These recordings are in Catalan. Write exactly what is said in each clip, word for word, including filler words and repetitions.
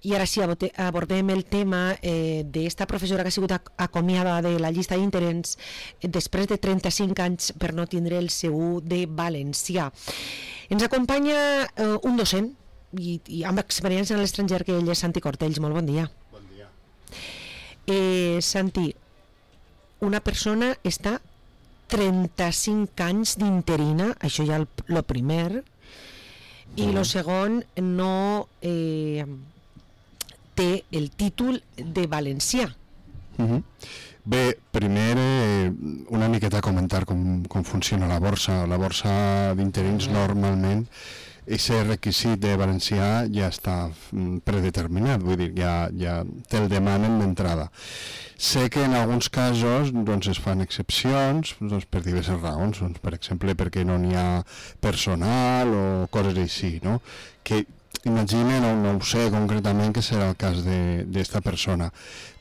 I ara sí, abordem el tema eh, d'esta professora que ha sigut acomiada de la llista d'interins després de trenta-cinc anys per no tindre el C U de valencià. Ens acompanya eh, un docent i, i amb experiència en l'estranger, que ell és Santi Cortells. Molt bon dia. Bon dia. Eh, Santi, una persona està trenta-cinc anys d'interina, això ja el, lo primer, i mm. lo segon no eh, té el títol de valencià. Mm-hmm. Bé, primer eh, una miqueta comentar com, com funciona la borsa. La borsa d'interins mm. normalment aquest requisit de valencià ja està predeterminat, vull dir, ja, ja te'l demanen d'entrada. Sé que en alguns casos doncs, es fan excepcions doncs, per diverses raons, doncs, per exemple perquè no n'hi ha personal o coses així, no? Que imagine, no, no ho sé concretament que serà el cas d'esta persona,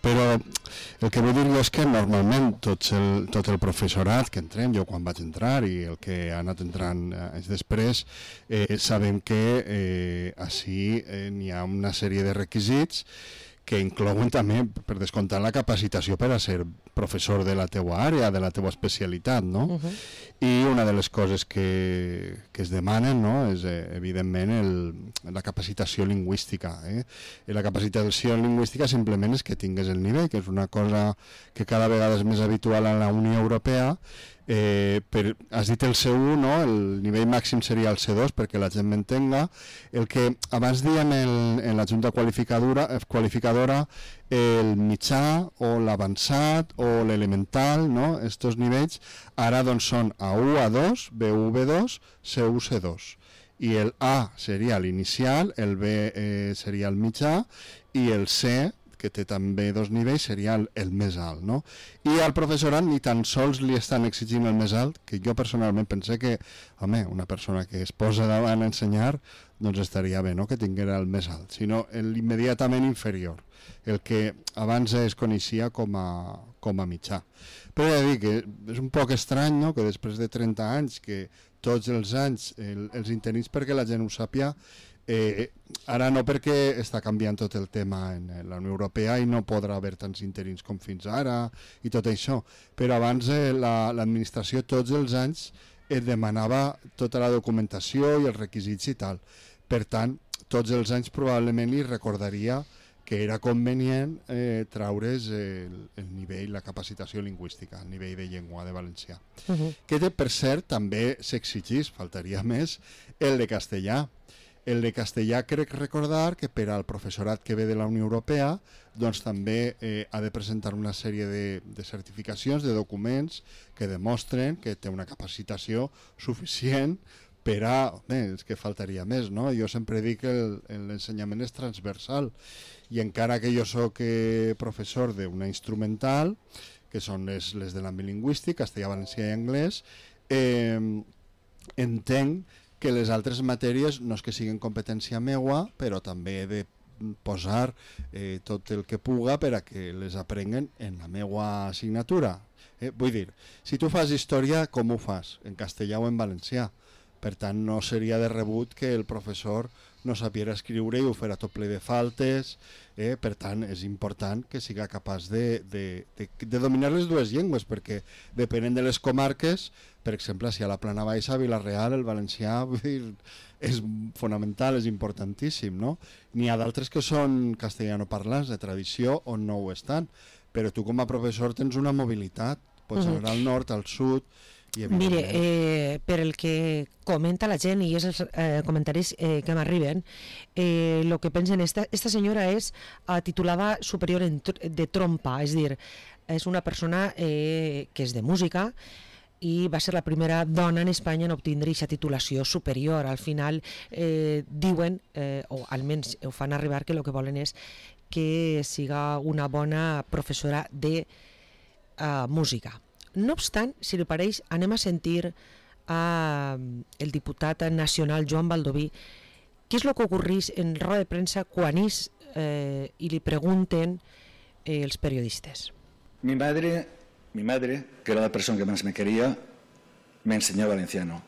però el que vull dir jo és que normalment tot el, tot el professorat que entrem, jo quan vaig entrar i el que ha anat entrant anys després, eh, sabem que eh, així eh, n'hi ha una sèrie de requisits que inclouen també, per descomptar, la capacitació per a ser professor de la teua àrea, de la teua especialitat, no? Uh-huh. I una de les coses que, que es demanen, no?, és, eh, evidentment, el, la capacitació lingüística. Eh? I la capacitació lingüística simplement és que tingues el nivell, que és una cosa que cada vegada és més habitual a la Unió Europea. Eh, per, has dit el C u, no? El nivell màxim seria el C dos, perquè la gent m'entenga. El que abans diem el, en la Junta qualificadora, qualificadora el mitjà o l'avançat o l'elemental, no? Estos nivells ara doncs són A u, A dos, B u, B dos, C u, C dos. I el A seria l'inicial, el B eh, seria el mitjà i el C, que té també dos nivells, seria el, el més alt, no? I al professorat ni tan sols li estan exigint el més alt, que jo personalment pensé que, home, una persona que es posa davant a ensenyar, doncs estaria bé, no?, que tinguera el més alt, sinó l'immediatament inferior, el que abans es coneixia com a, com a mitjà. Però he de dir que és un poc estrany, no?, que després de trenta anys, que tots els anys el, els interins, perquè la gent ho sàpia, Eh, ara no, perquè està canviant tot el tema en la Unió Europea i no podrà haver tants interins com fins ara i tot això, però abans eh, la, l'administració tots els anys et demanava tota la documentació i els requisits i tal. Per tant, tots els anys probablement li recordaria que era convenient eh, traure's el, el nivell, la capacitació lingüística, el nivell de llengua de valencià. Uh-huh. Que per cert també s'exigís, faltaria més, el de castellà. El de castellà crec recordar que per al professorat que ve de la Unió Europea doncs també eh, ha de presentar una sèrie de, de certificacions, de documents que demostren que té una capacitació suficient per a... Bé, és que faltaria més, no? Jo sempre dic que el, l'ensenyament és transversal i encara que jo soc eh, professor d'una instrumental, que són les, les de l'àmbit lingüístic, castellà, valencià i anglès, eh, entenc que les altres matèries no és que siguin competència meua, però també he de posar eh, tot el que puga per a que les aprenguen en la meua assignatura. Eh, vull dir, si tu fas història, com ho fas? En castellà o en valencià? Per tant, no seria de rebut que el professor no sapiera escriure i ho farà tot ple de faltes. Eh? Per tant, és important que siga capaç de, de, de, de dominar les dues llengües, perquè depenent de les comarques, per exemple, si a la Plana Baixa, a Vila-real, el valencià vull dir, és fonamental, és importantíssim, no? N'hi ha d'altres que són castellanoparlants de tradició on no ho estan, però tu com a professor tens una mobilitat, pots anar uh-huh. al nord, al sud. Mire, eh, per el que comenta la gent i és els eh, comentaris eh, que m'arriben, eh, el que pensen, esta, esta senyora és eh, titulada superior en, de trompa, és dir, és una persona eh, que és de música i va ser la primera dona en Espanya en obtindre aquesta titulació superior. Al final eh, diuen, eh, o almenys ho fan arribar, que el que volen és que siga una bona professora de eh, música. No obstant, si li pareix, anem a sentir a el diputat nacional Joan Baldoví què és el que ocorrís en roda de premsa quan és eh, i li pregunten eh, els periodistes. Mi madre, mi madre, que era la persona que más me quería, me enseñó valenciano.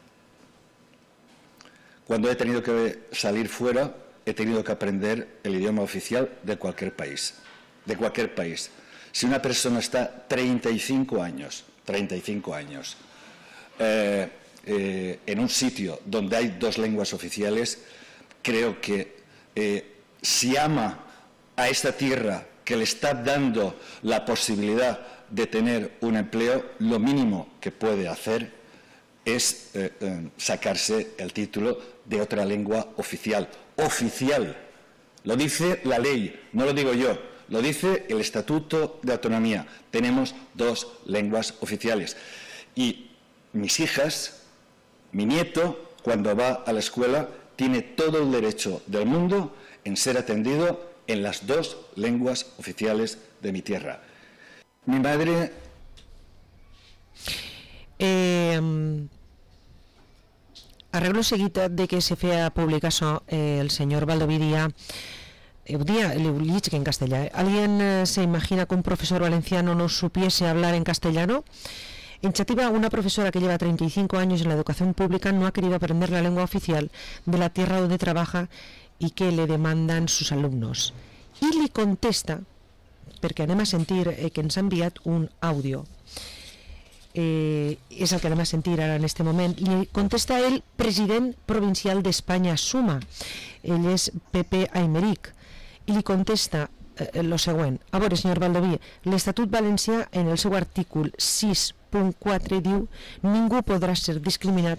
Cuando he tenido que salir fuera, he tenido que aprender el idioma oficial de cualquier país, de cualquier país. Si una persona está treinta y cinco años, treinta y cinco años, eh, eh, en un sitio donde hay dos lenguas oficiales, creo que eh, si ama a esta tierra que le está dando la posibilidad de tener un empleo, lo mínimo que puede hacer es eh, eh, sacarse el título de otra lengua oficial. Oficial. Lo dice la ley, no lo digo yo, lo dice el Estatuto de Autonomía. Tenemos dos lenguas oficiales. Y mis hijas, mi nieto, cuando va a la escuela, tiene todo el derecho del mundo en ser atendido en las dos lenguas oficiales de mi tierra. Mi madre... Eh, arreglo seguit de que se feia públic això, eh, el senyor Baldoví dia, eh, dia, le dic que en castellà, eh? ¿Alguien eh, se imagina que un profesor valenciano no supiese hablar en castellano? En Chativa, una profesora que lleva treinta y cinco años en la educación pública no ha querido aprender la lengua oficial de la tierra donde trabaja y que le demandan sus alumnos. I li contesta, perquè anem a sentir eh, que ens ha enviat un àudio, eh, és el que anem a sentir ara en este moment, li contesta el president provincial d'Espanya Suma, ell és Pepe Aymeric, i li contesta eh, lo següent: a veure, senyor Baldoví, l'Estatut Valencià en el seu artícul sis punt quatre diu: ningú podrà ser discriminat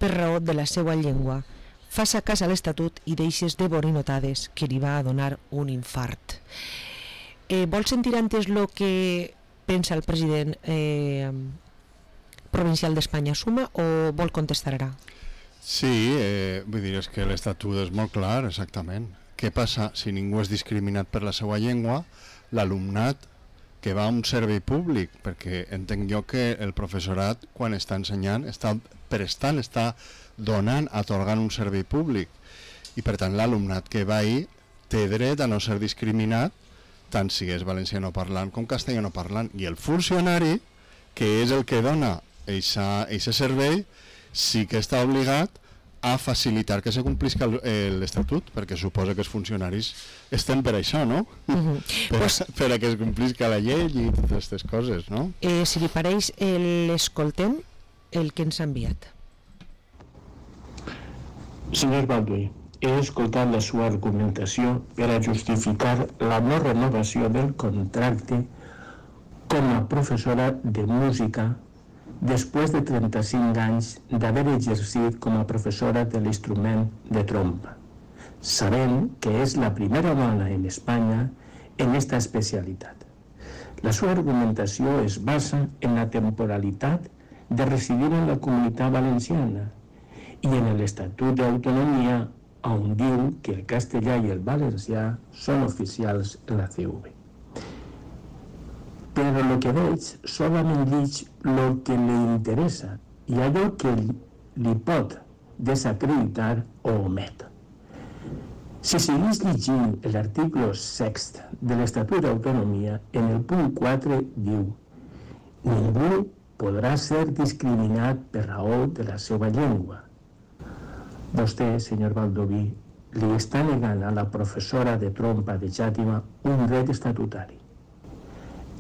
per raó de la seva llengua. Faça cas a l'Estatut i deixes de borinotades, que li va a donar un infart. Eh, vol sentir antes el que pensa el president eh, provincial d'Espanya Suma o vol contestar ara? Sí, eh, vull dir, és que l'Estatut és molt clar, exactament. Què passa si ningú és discriminat per la seva llengua? L'alumnat que va a un servei públic, perquè entenc jo que el professorat, quan està ensenyant, està prestant, està donant, atorgant un servei públic. I per tant l'alumnat que va ahir té dret a no ser discriminat, tant si és valenciano parlant com castellano parlant. I el funcionari, que és el que dona aquest servei, sí que està obligat a facilitar que se complisca l'Estatut, perquè suposa que els funcionaris estem per això, no? Uh-huh. per, pues, per a que es complisca la llei i totes aquestes coses, no? Eh, si li pareix, l'escoltem, el que ens ha enviat. Senyor Baldoví, he escoltat la seva argumentació per a justificar la no renovació del contracte com a professora de música després de trenta-cinc anys d'haver exercit com a professora de l'instrument de trompa, sabent que és la primera dona en Espanya en aquesta especialitat. La seva argumentació es basa en la temporalitat de residir en la Comunitat Valenciana i en l'Estatut d'Autonomia, on diu que el castellà i el valencià són oficials en la C V. Però el que veig solament llig el que li interessa i allò que li pot desacreditar o omet. Si seguís llegint l'article sext de l'Estatut d'Autonomia, en el punt quatre diu: ningú podrà ser discriminat per raó de la seva llengua. Vostè, senyor Baldoví, li està negant a la professora de trompa de Xàtiva un dret estatutari,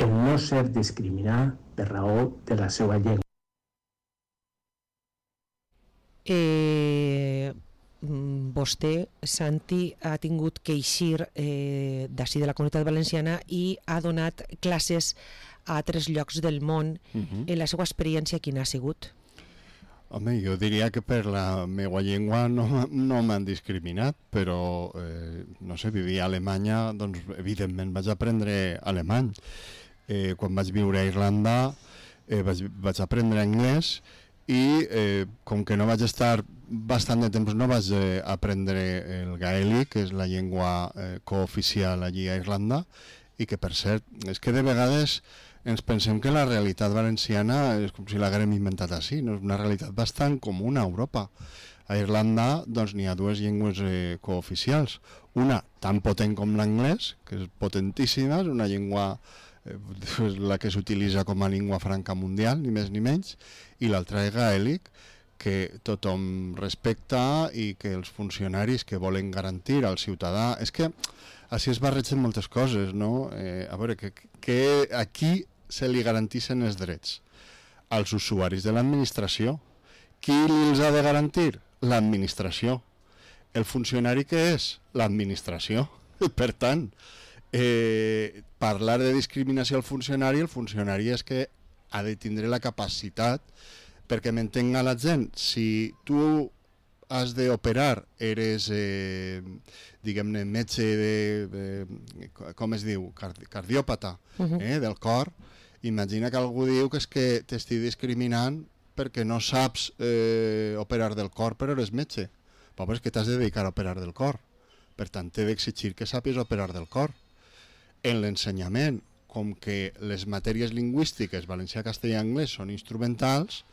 el no ser discriminat per raó de la seva llengua. Eh, vostè, Santi, ha tingut que eixir eh, d'ací de la Comunitat Valenciana i ha donat classes a altres llocs del món. Uh-huh. En la seva experiència, quina ha sigut? Home, jo diria que per la meva llengua no, no m'han discriminat, però, eh, no sé, vivia a Alemanya, doncs, evidentment vaig aprendre alemany. Eh, quan vaig viure a Irlanda eh, vaig, vaig aprendre anglès i eh, com que no vaig estar bastant de temps, no vaig eh, aprendre el gaèlic, que és la llengua eh, cooficial allí a Irlanda, i que, per cert, és que de vegades ens pensem que la realitat valenciana és com si l'haguem inventat així, no? És una realitat bastant comuna a Europa. A Irlanda doncs, n'hi ha dues llengües eh, cooficials, una tan potent com l'anglès, que és potentíssima, és una llengua eh, la que s'utilitza com a llengua franca mundial, ni més ni menys, i l'altra és gaèlic, que tothom respecta i que els funcionaris que volen garantir al ciutadà... És que així es barregen moltes coses, no? Eh, a veure, que, que aquí se li garantixen els drets als usuaris de l'administració. Qui els ha de garantir? L'administració. El funcionari què és? L'administració. Per tant, eh, parlar de discriminació al funcionari, el funcionari és que ha de tindre la capacitat, perquè m'entenga la gent, si tu has d'operar, eres, eh, diguem-ne, metge de, de, com es diu, Cardi cardiòpata, uh-huh. eh, del cor, imagina que algú diu que és que t'estic discriminant perquè no saps eh, operar del cor, però eres metge. Però és que t'has de dedicar a operar del cor. Per tant, t'he d'exigir que sàpies operar del cor. En l'ensenyament, com que les matèries lingüístiques, valencià, castellà i anglès, són instrumentals,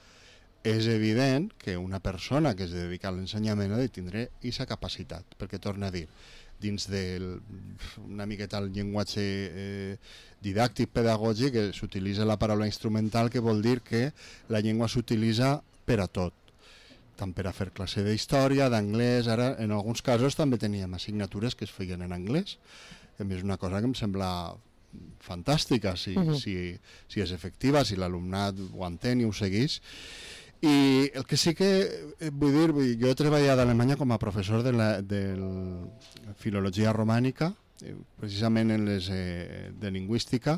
és evident que una persona que es dedica a l'ensenyament ha de tindre aquesta capacitat, perquè torna a dir, dins del, una miqueta el llenguatge eh, didàctic pedagògic, que s'utilitza la paraula instrumental, que vol dir que la llengua s'utilitza per a tot, tant per a fer classe d'història, d'anglès. Ara en alguns casos també teníem assignatures que es feien en anglès, que a mi és una cosa que em sembla fantàstica, si, uh-huh. si, si és efectiva, si l'alumnat ho entén i ho segueix. I el que sí que vull dir, vull dir jo he treballat a Alemanya com a professor de la de filologia romànica, precisament en les eh, de lingüística.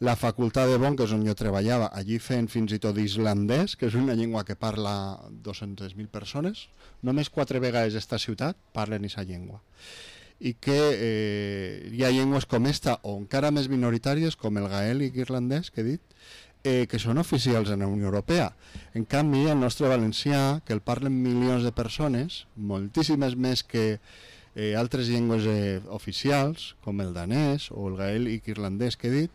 La facultat de Bonn, que és on jo treballava, allí feien fins i tot islandès, que és una llengua que parla dues-centes mil persones. Només quatre vegades esta ciutat parlen aquesta llengua. I que eh, hi ha llengües com esta, o encara més minoritàries, com el gaèlic irlandès, que he dit, eh, que són oficials en la Unió Europea. En canvi, el nostre valencià, que el parlen milions de persones, moltíssimes més que eh, altres llengües eh, oficials, com el danès o el gaèlic irlandès que he dit,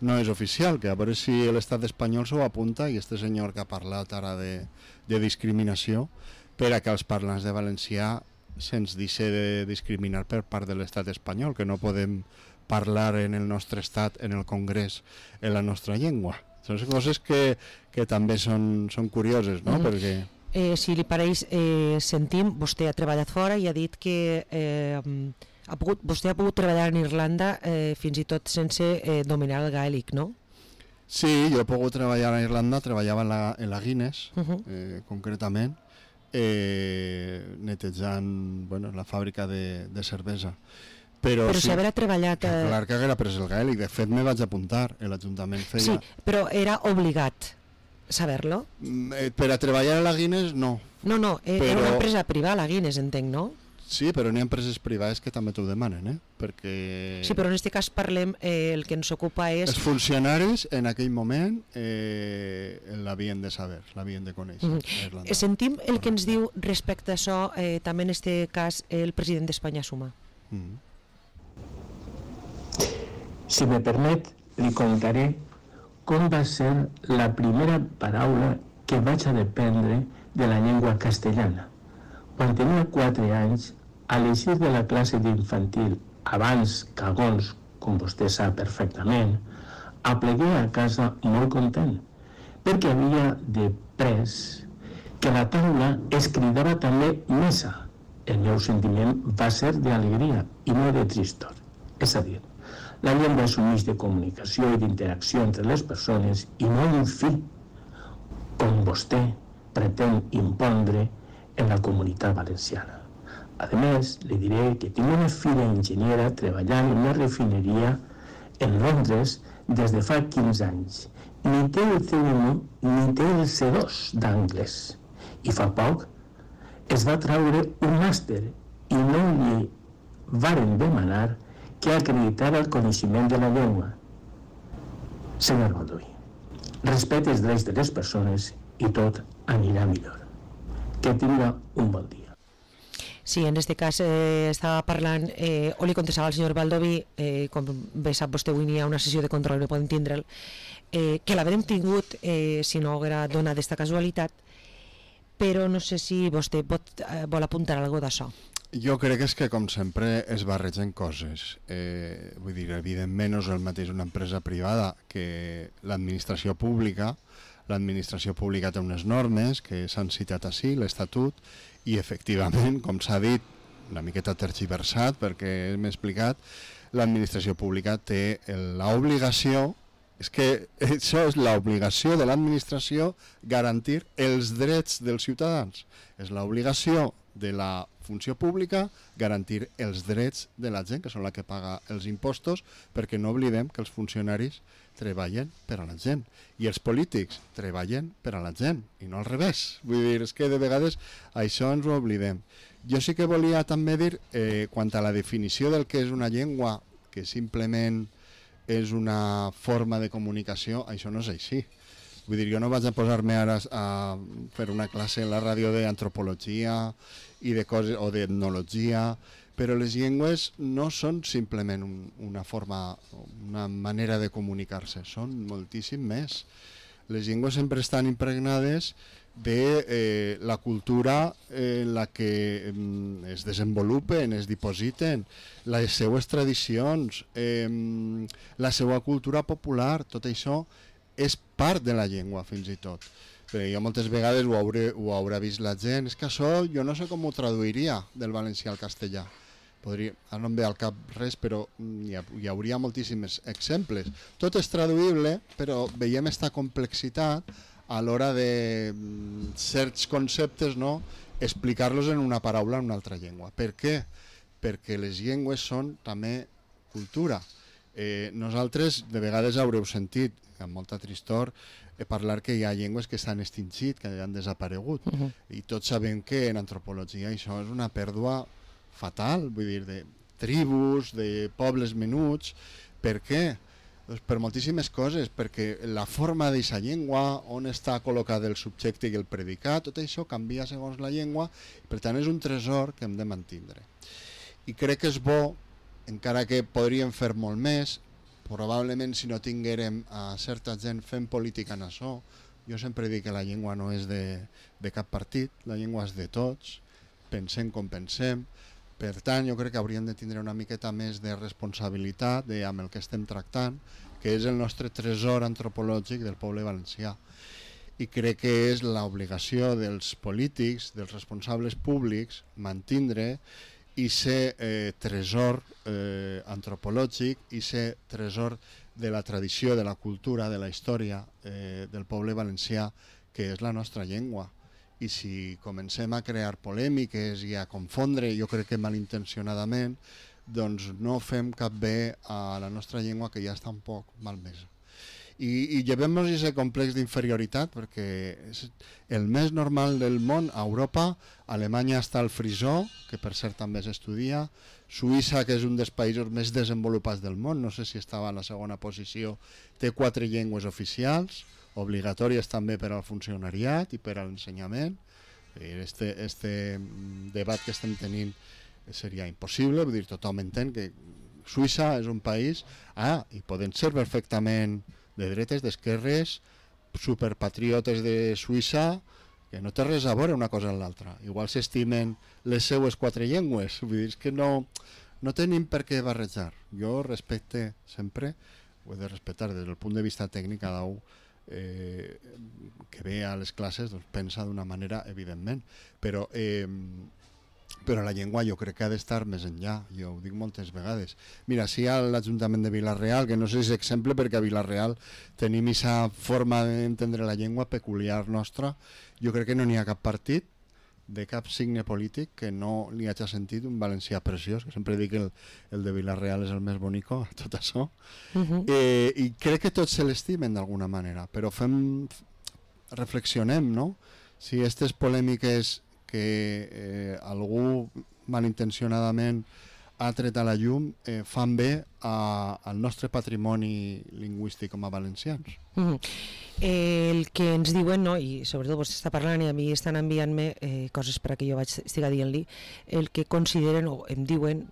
no és oficial, que a veure si l'estat espanyol s'ho apunta, i este senyor que ha parlat ara de, de discriminació, per a que els parlants de valencià se'ns deixi de discriminar per part de l'estat espanyol, que no podem parlar en el nostre estat, en el Congrés, en la nostra llengua. Són coses que, que també són, són curioses, no? Mm. Perquè... Eh, si li pareix, eh, sentim, vostè ha treballat fora i ha dit que eh, ha pogut, vostè ha pogut treballar en Irlanda eh, fins i tot sense eh, dominar el gaèlic, no? Sí, jo he pogut treballar a Irlanda, treballava en la, en la Guinness, uh-huh. eh, concretament, eh, netejant bueno, la fàbrica de, de cervesa. Però, però sí, si haver treballat... Eh... Clar que haguera pres el gaèlic, de fet me vaig apuntar, l'Ajuntament feia... Sí, però era obligat saber-lo? Eh, per a treballar a la Guinness, no. No, no, eh, però... era una empresa privada, la Guinness, entenc, no? Sí, però n'hi ha empreses privades que també t'ho demanen, eh? Perquè... Sí, però en aquest cas parlem, eh, el que ens ocupa és... Els funcionaris en aquell moment eh, l'havien de saber, l'havien de conèixer. Mm-hmm. Sentim el que ens diu respecte a això, eh, també en aquest cas, el president d'Espanya Suma. Mm-hmm. Si me permet, li contaré com va ser la primera paraula que vaig a dependre de la llengua castellana. Quan tenia quatre anys, a l'eixir de la classe d'infantil, abans cagons, com vostè sap perfectament, aplegué a casa molt content, perquè havia de pres que a la taula es cridava també missa. El meu sentiment va ser d'alegria i no de tristor. És a dir, la llengua és un mig de comunicació i d'interacció entre les persones i no un fi, com vostè pretén impondre en la comunitat valenciana. A més, li diré que tinc una filla enginyera treballant en una refineria en Londres des de fa quinze anys. Ni té el C u ni té el C dos d'anglès. I fa poc es va traure un màster i no li varen demanar que acreditara el coneixement de la llengua. Senyor Baldoví, respecte els drets de les persones i tot anirà millor. Que tinga un bon dia. Sí, en aquest cas eh, estava parlant, eh, o li contestava al senyor Baldoví, eh, com bé sap vostè, avui n'hi ha una sessió de control, no podem tindre'l, eh, que l'haurem tingut eh, si no haguera donat aquesta casualitat, però no sé si vostè pot, eh, vol apuntar alguna cosa d'això. Jo crec que és que, com sempre, es barregen coses. Eh, vull dir, evidentment no és el mateix una empresa privada que l'administració pública. l'administració pública té unes normes que s'han citat així, l'Estatut, i efectivament, com s'ha dit, una miqueta tergiversat perquè m'he explicat, l'administració pública té l'obligació, és que això és l'obligació de l'administració, garantir els drets dels ciutadans. És l'obligació de la funció pública garantir els drets de la gent, que són la que paga els impostos, perquè no oblidem que els funcionaris treballen per a la gent i els polítics treballen per a la gent i no al revés. Vull dir, és que de vegades això ens ho oblidem. Jo sí que volia també dir, eh, quant a la definició del que és una llengua, que simplement és una forma de comunicació, això no és així. Vull dir, jo no vaig a posar-me ara a fer una classe en la ràdio d'antropologia i de coses, o d'etnologia, però les llengües no són simplement un, una forma, una manera de comunicar-se, són moltíssim més. Les llengües sempre estan impregnades de eh, la cultura en la que eh, es desenvolupen, es dipositen, les seues tradicions, eh, la seva cultura popular, tot això és part de la llengua fins i tot. Però jo moltes vegades ho, hauré, ho haurà vist la gent, és que això jo no sé com ho traduiria del valencià al castellà. Podria, ara no em ve al cap res, però hi, ha, hi hauria moltíssims exemples. Tot és traduïble, però veiem aquesta complexitat a l'hora de certs conceptes, no, explicar-los en una paraula en una altra llengua. Per què? Perquè les llengües són també cultura. Eh, nosaltres de vegades haureu sentit, amb molta tristor, eh, parlar que hi ha llengües que s'han extingit, que han desaparegut. Uh-huh. I tots sabem que en antropologia això és una pèrdua fatal, vull dir, de tribus, de pobles menuts. Per què? Doncs per moltíssimes coses, perquè la forma d'aquesta llengua, on està col·locat el subjecte i el predicat, tot això canvia segons la llengua, per tant és un tresor que hem de mantindre. I crec que és bo, encara que podríem fer molt més, probablement si no tinguérem a certa gent fent política en això, jo sempre dic que la llengua no és de, de cap partit, la llengua és de tots, pensem com pensem, per tant jo crec que hauríem de tindre una miqueta més de responsabilitat de, amb el que estem tractant, que és el nostre tresor antropològic del poble valencià. I crec que és l'obligació dels polítics, dels responsables públics, mantindre i ser eh, tresor eh, antropològic i ser tresor de la tradició, de la cultura, de la història eh, del poble valencià, que és la nostra llengua. I si comencem a crear polèmiques i a confondre, jo crec que malintencionadament, doncs no fem cap bé a la nostra llengua, que ja està un poc malmesa. I, i llevem-nos aquest complex d'inferioritat, perquè és el més normal del món. A Europa, a Alemanya està el frisó, que per cert també s'estudia, Suïssa, que és un dels països més desenvolupats del món, no sé si estava en la segona posició, té quatre llengües oficials, obligatòries també per al funcionariat i per a l'ensenyament. Este, este debat que estem tenint seria impossible, vull dir, tothom entén que Suïssa és un país, ah, i poden ser perfectament de dretes, d'esquerres, superpatriotes de Suïssa, que no té res a veure una cosa amb l'altra. Igual s'estimen les seues quatre llengües, vull dir que no, no tenim per què barrejar. Jo respecte sempre, ho he de respectar des del punt de vista tècnic, cada un eh, que ve a les classes doncs, pensa d'una manera, evidentment, però eh, però la llengua jo crec que ha d'estar més enllà, jo ho dic moltes vegades. Mira, si a l'Ajuntament de Vila-real, que no sé si és exemple perquè a Vila-real tenim aquesta forma d'entendre la llengua peculiar nostra, jo crec que no n'hi ha cap partit de cap signe polític que no li hagi sentit un valencià preciós, que sempre dic que el, el de Vila-real és el més bonico, tot això. Uh-huh. eh, I crec que tots se l'estimen d'alguna manera, però fem, reflexionem, no? Si aquestes polèmiques que eh, algú malintencionadament ha tret a la llum eh, fan bé a, al nostre patrimoni lingüístic com a valencians. Mm-hmm. eh, el que ens diuen, no, i sobretot vostè està parlant i a mi estan enviant-me eh, coses perquè jo vaig estiga dient-li, el que consideren o em diuen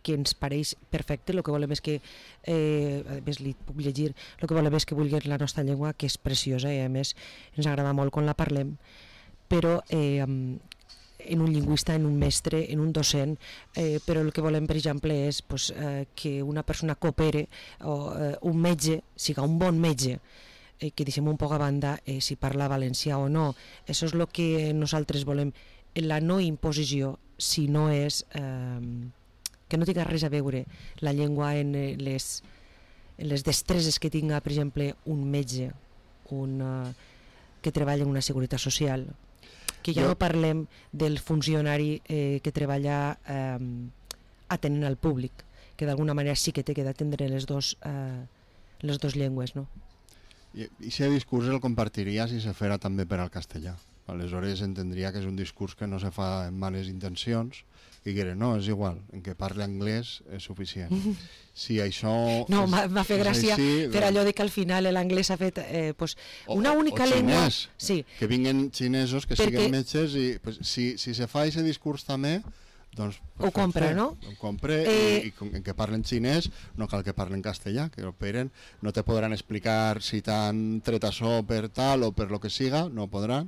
que ens pareix perfecte, el que volem és que, eh, a més li puc llegir, el que volem és que vulguin la nostra llengua, que és preciosa i a més ens agrada molt quan la parlem, però eh, en un lingüista, en un mestre, en un docent, eh, però el que volem, per exemple, és pues, eh, que una persona coopere o eh, un metge, siga un bon metge, eh, que deixem un poc a banda eh, si parla valencià o no. Això és el que nosaltres volem, la no imposició, si no és eh, que no tinga res a veure la llengua en les, en les destreses que tinga, per exemple, un metge, un, uh, que treballa en una seguretat social, que ja jo... no parlem del funcionari eh, que treballa eh, atenent al públic, que d'alguna manera sí que té que atendre les dos, eh, les dos llengües, no? I aquest discurs el compartiria si se fera també per al castellà. Aleshores entendria que és un discurs que no se fa amb males intencions, i que no, és igual, en què parli anglès és suficient. Si això... No, m'ha fet gràcia així, per allò de que al final l'anglès ha fet eh, pues, una única llengua... O xinès, sí. Que vinguen xinesos, que Perquè... siguin metges, i pues, si, si se fa aquest discurs també, doncs... Ho compra, no? Ho compra eh... i, i en que parlen xinès, no cal que parlen castellà, que operen, no te podran explicar si t'han tret açò per tal o per lo que siga, no podran,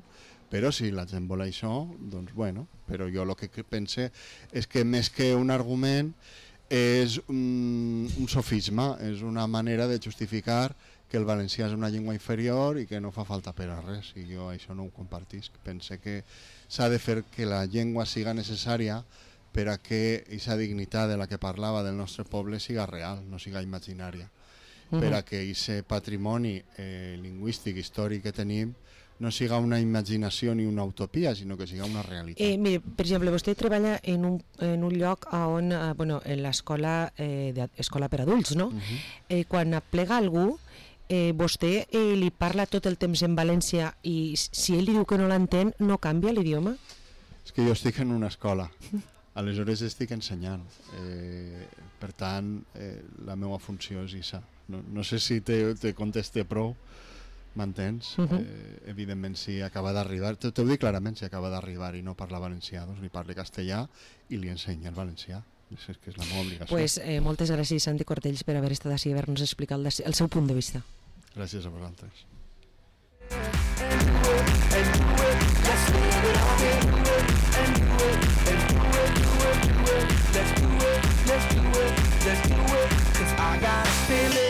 però si la gent vol això, doncs bueno, però jo el que pense és que més que un argument és un, un sofisme, és una manera de justificar que el valencià és una llengua inferior i que no fa falta per a res, i jo això no ho compartisc. Pense que s'ha de fer que la llengua siga necessària per a que aquesta dignitat de la que parlava del nostre poble siga real, no siga imaginària, uh-huh. per a que aquest patrimoni eh, lingüístic, històric que tenim no siga una imaginació ni una utopia, sinó que siga una realitat. Eh, mire, per exemple, vostè treballa en un, en un lloc on, eh, bueno, en l'escola eh, escola per adults, no? Uh-huh. eh, quan aplega algú, eh, vostè eh, li parla tot el temps en valencià i si ell li diu que no l'entén, no canvia l'idioma? És que jo estic en una escola, aleshores estic ensenyant. Eh, per tant, eh, la meva funció és aquesta. No, no sé si te, te conteste prou, m'entens? Uh-huh. eh, evidentment si acaba d'arribar, t'ho dic clarament, si acaba d'arribar i no parla valencià, doncs li parli castellà i li ensenya el valencià. És que és la meva obligació. Pues, eh, moltes gràcies, Santi Cortells, per haver estat així i haver-nos explicat el, el seu punt de vista. Gràcies a vosaltres.